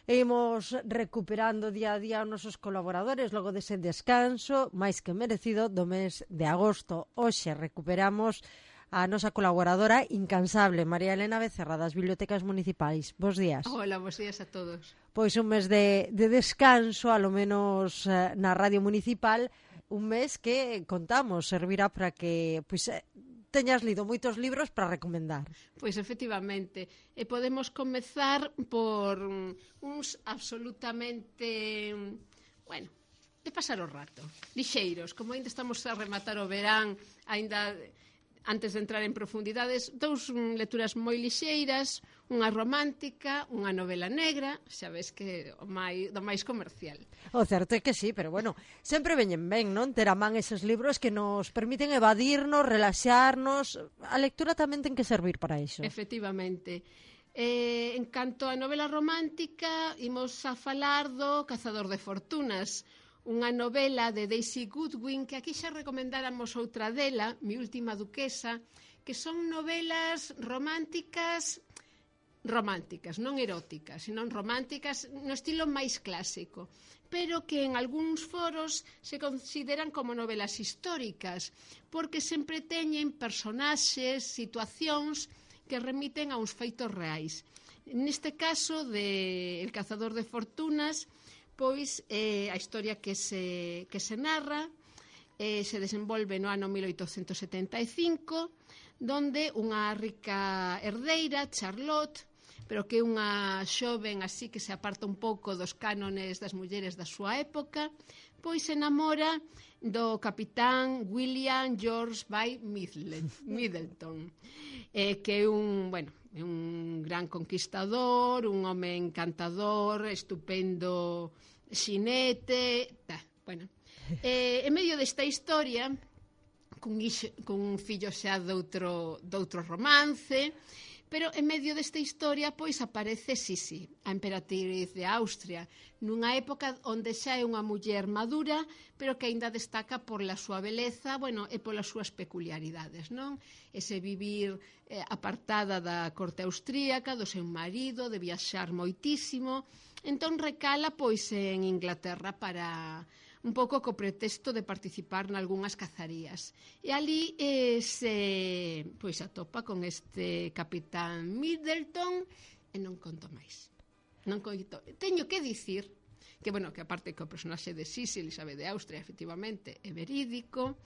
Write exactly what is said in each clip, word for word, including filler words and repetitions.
E imos recuperando día a día os nosos colaboradores logo dese descanso máis que merecido do mes de agosto. Hoxe recuperamos a nosa colaboradora incansable, María Elena Becerra, das Bibliotecas Municipais. Bos días. Hola, bos días a todos. Pois un mes de, de descanso, alo menos eh, na Radio Municipal, un mes que contamos servirá para que pois, eh, teñas lido moitos libros para recomendar. Pois efectivamente, e podemos comezar por uns absolutamente, bueno, de pasar o rato, lixeiros, como ainda estamos a rematar o verán, ainda antes de entrar en profundidades, dous lecturas moi lixeiras, unha romántica, unha novela negra, xa ves que o máis, do máis comercial. O certo é que sí, pero bueno, sempre veñen ben, non? Ter a man eses libros que nos permiten evadirnos, relaxarnos. A lectura tamén ten que servir para iso. Efectivamente. Eh, en canto a novela romántica, imos a falar do Cazador de Fortunas, unha novela de Daisy Goodwin, que aquí xa recomendáramos outra dela, Mi última duquesa, que son novelas románticas, románticas, non eróticas, senón románticas no estilo máis clásico, pero que en algúns foros se consideran como novelas históricas, porque sempre teñen personaxes, situacións que remiten a uns feitos reais. Neste caso de El Cazador de Fortunas, pois eh, a historia que se, que se narra eh, se desenvolve no ano mil oitocentos setenta e cinco, donde unha rica herdeira, Charlotte, pero que é unha xoven así que se aparta un pouco dos cánones das mulleres da súa época, pois se enamora do capitán William George by Middleton, eh, que é un, bueno, é un gran conquistador, un home encantador, estupendo xinete, ta, bueno. Eh, en medio desta historia, cun, ixo, cun fillo xa doutro, doutro romance, pero en medio desta historia pois aparece Sisi, a emperatriz de Austria, nunha época onde xa é unha muller madura, pero que aínda destaca por la súa beleza, bueno, e polas súas peculiaridades, non? Ese vivir eh, apartada da corte austríaca, do seu marido, de viaxar moitísimo, entón recala pois en Inglaterra para un pouco co pretexto de participar nalgúnas cazarías. E ali eh, se pois atopa con este capitán Middleton e non conto máis. Non conto. Teño que dicir que, bueno, que aparte que o personaxe de Sisi, Elizabeth de Austria, efectivamente, é verídico,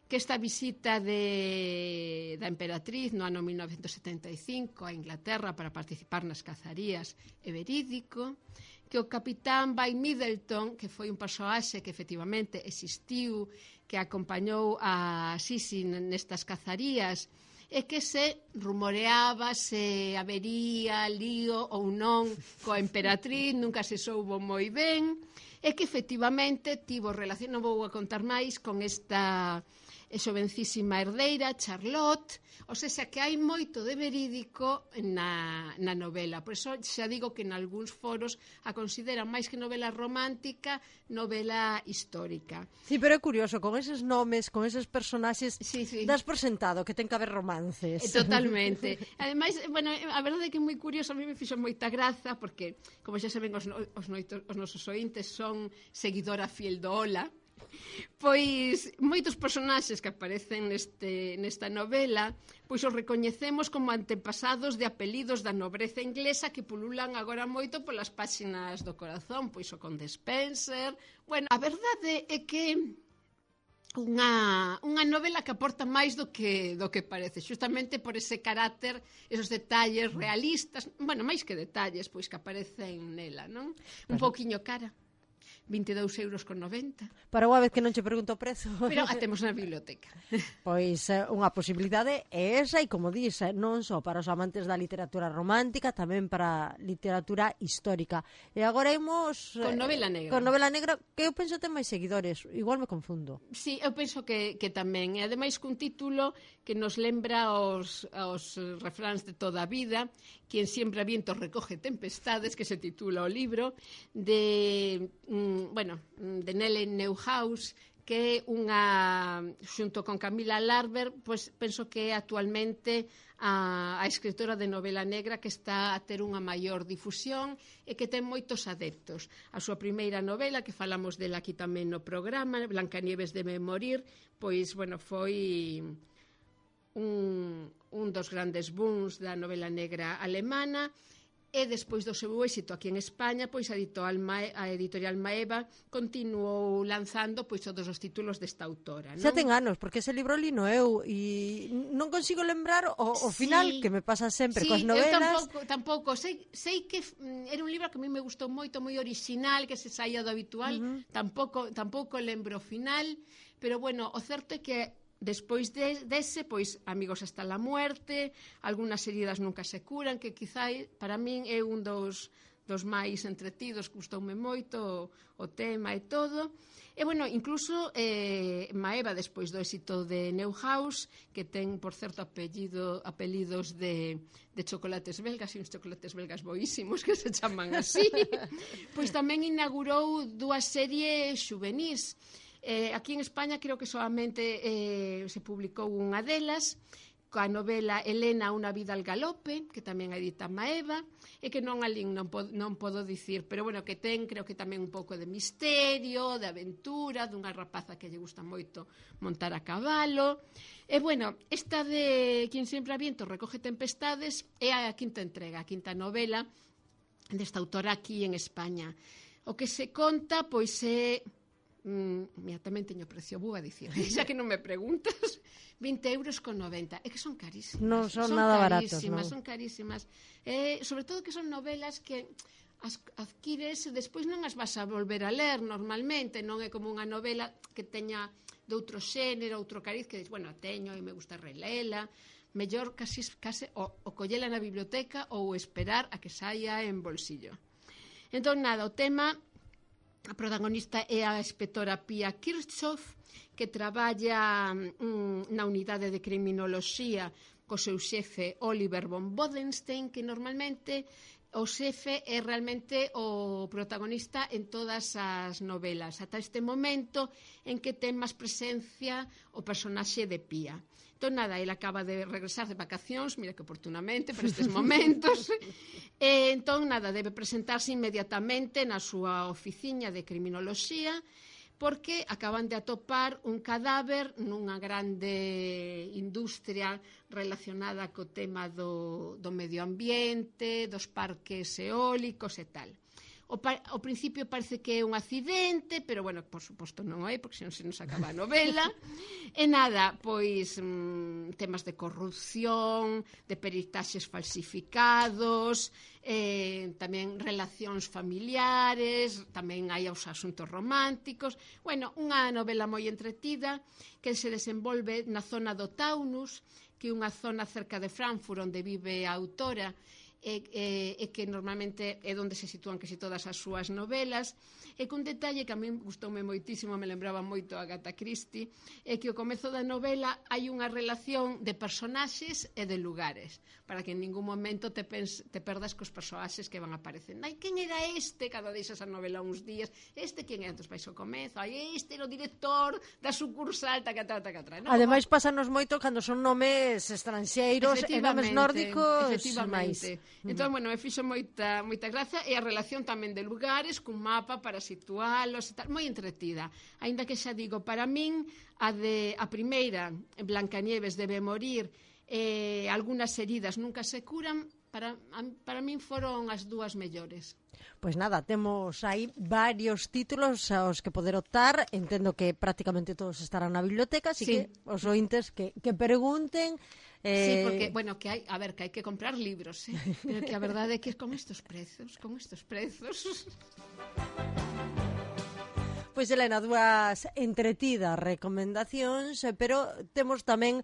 que esta visita de, da emperatriz no ano mil novecentos setenta e cinco a Inglaterra para participar nas cazarías é verídico, que o capitán By Middleton, que foi un persoaxe que efectivamente existiu, que acompañou a Sisi nestas cazarías, e que se rumoreaba se habería lío ou non coa emperatriz, nunca se soubo moi ben, e que efectivamente tivo relación, non vou a contar máis, con esta xovencísima herdeira, Charlotte, ou seja, que hai moito de verídico na, na novela. Por iso xa digo que en algúns foros a consideran máis que novela romántica, novela histórica. Sí, pero é curioso, con eses nomes, con eses personaxes, sí, sí. das por sentado que ten que haber romances. Totalmente. Ademais, bueno, a verdade é que é moi curioso, a mí me fixo moita graza, porque, como xa saben, os, os, noitos, os nosos ointes son seguidora fiel do Ola, pois moitos personaxes que aparecen neste, nesta novela pois os recoñecemos como antepasados de apelidos da nobreza inglesa que pululan agora moito polas páxinas do corazón, pois o Conde Spencer. Bueno, a verdade é que unha, unha novela que aporta máis do que, do que parece, justamente por ese carácter, esos detalles realistas, bueno, máis que detalles, pois que aparecen nela, non? Un pouquiño cara. vinte e dous euros con noventa. Para unha vez que non che pregunto o prezo. Pero a temos na biblioteca. Pois unha posibilidade é esa, e como dís, non só para os amantes da literatura romántica, tamén para literatura histórica. E agora imos con novela negra. Con novela negra, que eu penso ten máis seguidores, igual me confundo. Sí, eu penso que, que tamén, e ademais cun título que nos lembra os, os refráns de toda a vida, Quien siembra vientos recoge tempestades, que se titula o libro, de, mm, bueno, de Nellen Neuhaus, que é unha, xunto con Camila Larber, pois penso que é actualmente a, a escritora de novela negra que está a ter unha maior difusión e que ten moitos adeptos. A súa primeira novela, que falamos dela aquí tamén no programa, Blancanieves debe morir, pois, bueno, foi un, un dos grandes booms da novela negra alemana. E despois do seu éxito aquí en España, pois a editorial, Mae, a editorial Maeva continuou lanzando pois todos os títulos desta autora, non? Xa ten anos, porque ese libro lino eu e non consigo lembrar o, o final, sí, que me pasa sempre sí, coas novelas. Eu tampouco, tampouco. Sei, sei que mm, era un libro que a mí me gustou moito, moi original, que se saía do habitual, uh -huh. tampouco, tampouco lembro o final, pero bueno, o certo é que despois de, dese, pois, Amigos hasta la muerte, Algunas heridas nunca se curan, que quizá para min é un dos, dos máis entretidos, gustoume moito o, o tema e todo. E, bueno, incluso eh, Maeva, despois do éxito de Neuhaus, que ten, por certo, apellido, apelidos de, de chocolates belgas, e uns chocolates belgas boísimos que se chaman así, pois tamén inaugurou dúas series xuvenís. Eh, aquí en España creo que solamente eh, se publicou unha delas, coa novela Elena, unha vida al galope, que tamén edita Maeva, e que non alín non, pod, non podo dicir, pero bueno, que ten creo que tamén un pouco de misterio, de aventura, dunha rapaza que lle gusta moito montar a cabalo. E bueno, esta de Quien siembra viento recoge tempestades é a quinta entrega, a quinta novela desta autora aquí en España. O que se conta, pois é... Mm, mira, tamén teño precio, vou a dicir, xa que non me preguntas, vinte euros con noventa, é que son carísimas, non son, son nada baratos, carísimas, non. son carísimas, eh, sobre todo que son novelas que as adquires e despois non as vas a volver a ler normalmente, non é como unha novela que teña de outro xénero, outro cariz, que dis, bueno, teño e me gusta relela, mellor casi, casi o, o collela na biblioteca ou esperar a que saia en bolsillo. Entón, nada, o tema... A protagonista é a inspectora Pia Kirchhoff, que traballa mm, na unidade de criminoloxía co seu xefe Oliver von Bodenstein, que normalmente o xefe é realmente o protagonista en todas as novelas, ata este momento en que ten máis presencia o personaxe de Pia. Entón, nada, ele acaba de regresar de vacacións, mira que oportunamente para estes momentos, e entón, nada, debe presentarse inmediatamente na súa oficina de criminoloxía, porque acaban de atopar un cadáver nunha grande industria relacionada co tema do, do medio ambiente, dos parques eólicos e tal. O, pa, ao principio parece que é un accidente, pero, bueno, por suposto non é, porque senón se nos acaba a novela. E nada, pois, mmm, temas de corrupción, de peritaxes falsificados, eh, tamén relacións familiares, tamén hai os asuntos románticos. Bueno, unha novela moi entretida que se desenvolve na zona do Taunus, que é unha zona cerca de Frankfurt onde vive a autora, e, e, e que normalmente é onde se sitúan casi todas as súas novelas, e cun detalle que a mí gustoume moitísimo, me lembraba moito a Agatha Christie, é que ao comezo da novela hai unha relación de personaxes e de lugares, para que en ningún momento te, pens, te perdas cos personaxes que van aparecendo. Ai, quen era este? Cada deixas a novela uns días, este quen era? Entón vais ao comezo, ai, este era o director da sucursal, taca, taca, taca, taca. No, ademais, pásanos moito cando son nomes estranxeiros e nomes nórdicos. Efectivamente. Entón, bueno, me fixo moita, moita gracia, e a relación tamén de lugares, cun mapa para situalos e tal, moi entretida. Aínda que xa digo, para min, a, de, a primeira, Blancanieves debe morir, e eh, Algunas heridas nunca se curan, para, para min foron as dúas mellores. Pois nada, temos aí varios títulos aos que poder optar. Entendo que prácticamente todos estarán na biblioteca, así sí. Que os ointes que, que pregunten. Eh... Sí, porque, bueno, que hai, a ver, que hai que comprar libros, eh? Pero que a verdade é que con estes prezos, con estes prezos... Pois, Elena, dúas entretidas recomendacións, pero temos tamén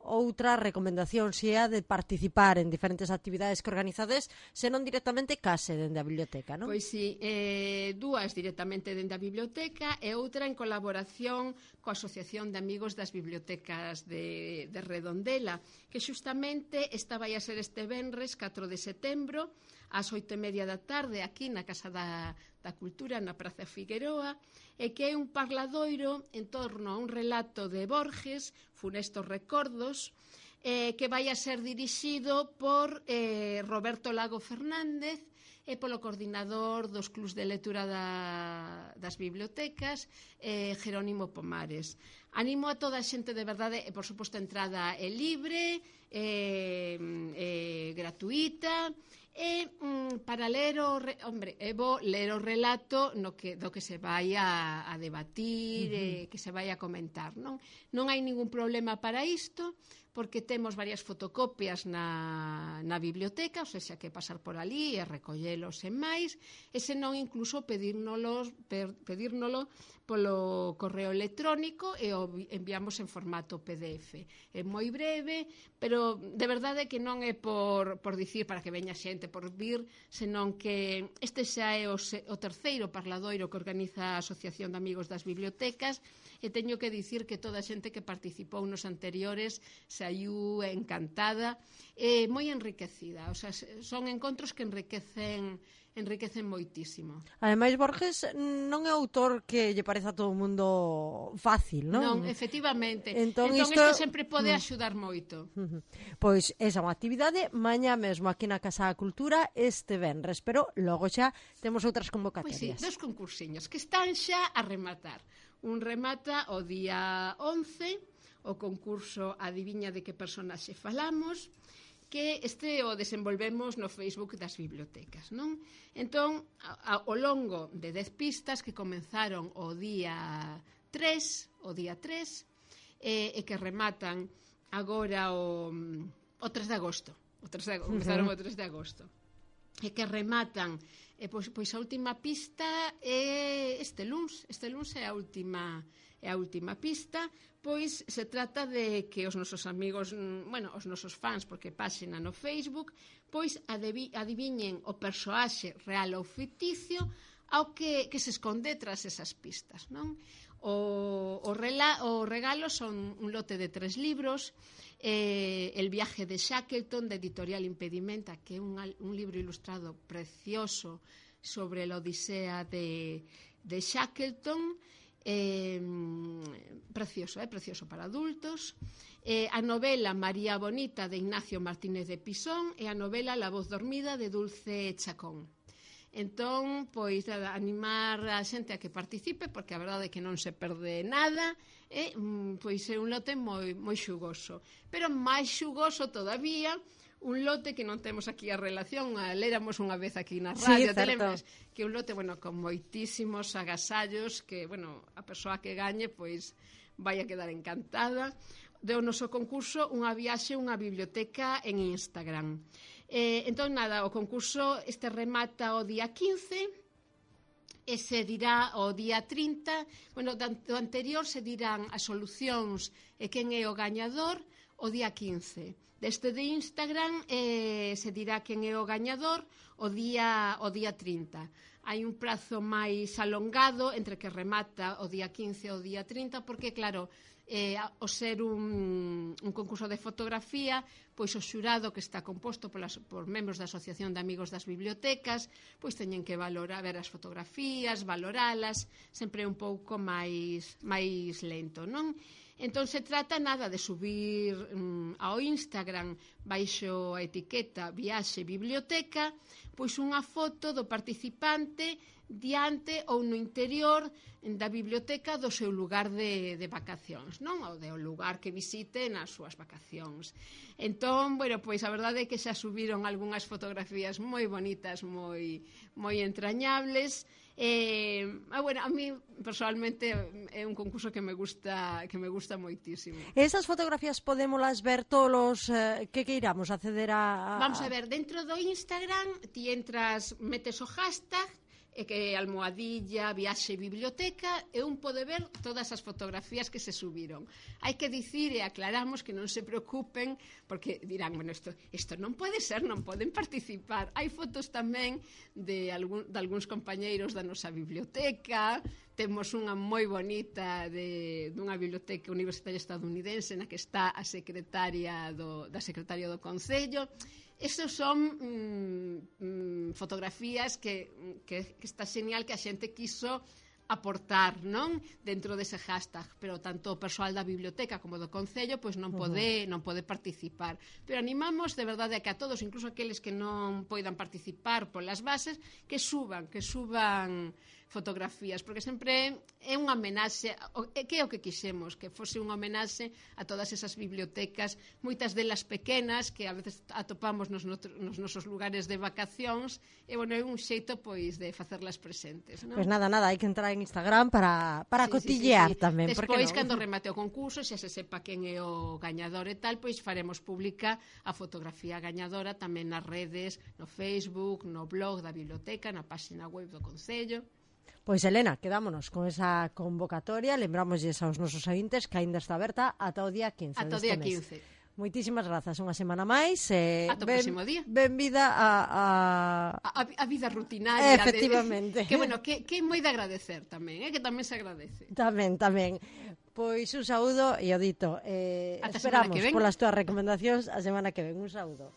outra recomendación, se é a de participar en diferentes actividades que organizades, senón directamente case dende a biblioteca, non? Pois sí, eh, dúas directamente dende a biblioteca e outra en colaboración coa Asociación de Amigos das Bibliotecas de, de Redondela, que xustamente esta vai a ser este venres catro de setembro ás oito e media da tarde aquí na Casa da, da Cultura na Praza Figueroa, e que é un parladoiro en torno a un relato de Borges, Funestos Recordos, eh, que vai a ser dirixido por eh, Roberto Lago Fernández e polo coordinador dos clubs de lectura da, das bibliotecas, eh, Jerónimo Pomares. Animo a toda a xente, de verdade, e por suposto a entrada é libre, é, é gratuita, e mm, para ler o re, hombre, é bo ler o relato no que, do que se vai a, a debatir, uh-huh. e que se vai a comentar, non? Non hai ningún problema para isto, porque temos varias fotocopias na, na biblioteca, ou seja, que pasar por ali e recollelos e máis, e senón incluso pedírnoslo, pedírnoslo polo correo electrónico e o enviamos en formato P D F. É moi breve, pero de verdade que non é por, por dicir para que veña xente por vir, senón que este xa é o, o terceiro parladoiro que organiza a Asociación de Amigos das Bibliotecas, e teño que dicir que toda a xente que participou nos anteriores saiu encantada e moi enriquecida. O sea, son encontros que enriquecen enriquecen moitísimo. Ademais, Borges non é autor que lle pareza a todo o mundo fácil, non? Non, efectivamente. Entón, entón isto... isto sempre pode axudar moito. Pois esa é unha actividade mañá mesmo aquí na Casa da Cultura este venres, pero logo xa temos outras convocatorias. Pois sí, dos concursiños que están xa a rematar. Un remata o día once, o concurso Adiviña de que personaxe falamos, que este o desenvolvemos no Facebook das bibliotecas, non? Entón, ao longo de dez pistas que comenzaron o día tres, o día tres, e, e que rematan agora o, o tres de agosto. O tres de, comenzaron uh-huh. o tres de agosto. E que rematan, e pois, pois a última pista é este luns, este luns é a última é a última pista, pois se trata de que os nosos amigos, bueno, os nosos fans, porque páxina no Facebook, pois adiviñen o persoaxe real ou ficticio ao que, que se esconde tras esas pistas, non? O, o, rela, o regalo son un lote de tres libros, eh, El viaje de Shackleton, de Editorial Impedimenta, que é un, un libro ilustrado precioso sobre la odisea de, de Shackleton, eh, precioso, eh, precioso para adultos, eh, a novela María Bonita de Ignacio Martínez de Pisón e a novela La voz dormida de Dulce Chacón. Entón, pois, animar a xente a que participe, porque a verdade é que non se perde nada, e, pois, é un lote moi, moi xugoso. Pero máis xugoso todavía, un lote que non temos aquí a relación, a léramos unha vez aquí na radio, sí, certo. Que un lote, bueno, con moitísimos agasallos, que, bueno, a persoa que gañe, pois, vai a quedar encantada. Do noso concurso, unha viaxe a unha biblioteca en Instagram. Eh, entón, nada, o concurso este remata o día quince, e se dirá o día trinta, bueno, do anterior se dirán as solucións e quen é o gañador o día quince. Deste de Instagram eh, se dirá quen é o gañador o día, o día trinta. Hai un prazo máis alongado entre que remata o día quince e o día trinta, porque, claro, eh, o ser un, un concurso de fotografía, pois o xurado que está composto polas, por membros da Asociación de Amigos das Bibliotecas, pois teñen que valorar, ver as fotografías, valoralas, sempre un pouco máis, máis lento, non? Entón se trata nada de subir um, ao Instagram baixo a etiqueta Viaxe Biblioteca, pois unha foto do participante diante ou no interior da biblioteca do seu lugar de, de vacacións, non? Ou do lugar que visite nas súas vacacións. Entón, bueno, pois a verdade é que xa subiron algunhas fotografías moi bonitas, moi, moi entrañables. Eh, ah, bueno, a mí personalmente é un concurso que me gusta que me gusta moitísimo. Esas fotografías podémolas ver todos eh, que queiramos acceder a, a... Vamos a ver, dentro do Instagram ti entras, metes o hashtag e que almohadilla, viaxe biblioteca, e un pode ver todas as fotografías que se subiron. Hai que dicir e aclaramos que non se preocupen, porque dirán, bueno, isto, isto non pode ser, non poden participar. Hai fotos tamén de, algún, de algúns compañeiros da nosa biblioteca, temos unha moi bonita de, dunha biblioteca universitaria estadounidense na que está a secretaria do, da secretaria do Concello. Esas son mm, mm, fotografías que, que, que está genial que a xente quiso aportar, non? Dentro dese hashtag, pero tanto o persoal da biblioteca como do Concello pois non pode, non pode participar. Pero animamos de verdade a que a todos, incluso aqueles que non poidan participar polas bases, que suban, que suban fotografías, porque sempre é unha homenaxe, que é o que quixemos, que fose unha homenaxe a todas esas bibliotecas, moitas delas pequenas, que a veces atopamos nos, nos nosos lugares de vacacións, e, bueno, é un xeito, pois, de facerlas presentes, non? Pois nada, nada, hai que entrar en Instagram para, para sí, cotillear sí, sí, sí. tamén. Despois, cando remate o concurso, xa se sepa quen é o gañador e tal, pois faremos pública a fotografía gañadora tamén nas redes, no Facebook, no blog da biblioteca, na página web do Concello. Pois, Elena, quedámonos con esa convocatoria. Lembramos aos nosos ointes que aínda está aberta ata o día quince ata o deste día mes. quince. Moitísimas grazas, unha semana máis. Eh, ata o ben, próximo día. Benvida a... A, a, a vida rutinaria. Efectivamente. De, que, bueno, que, que é moi de agradecer tamén, eh, que tamén se agradece. Tamén, tamén. Pois un saúdo e o dito. Eh, Ata esperamos polas túas recomendacións a semana que ven. Un saúdo.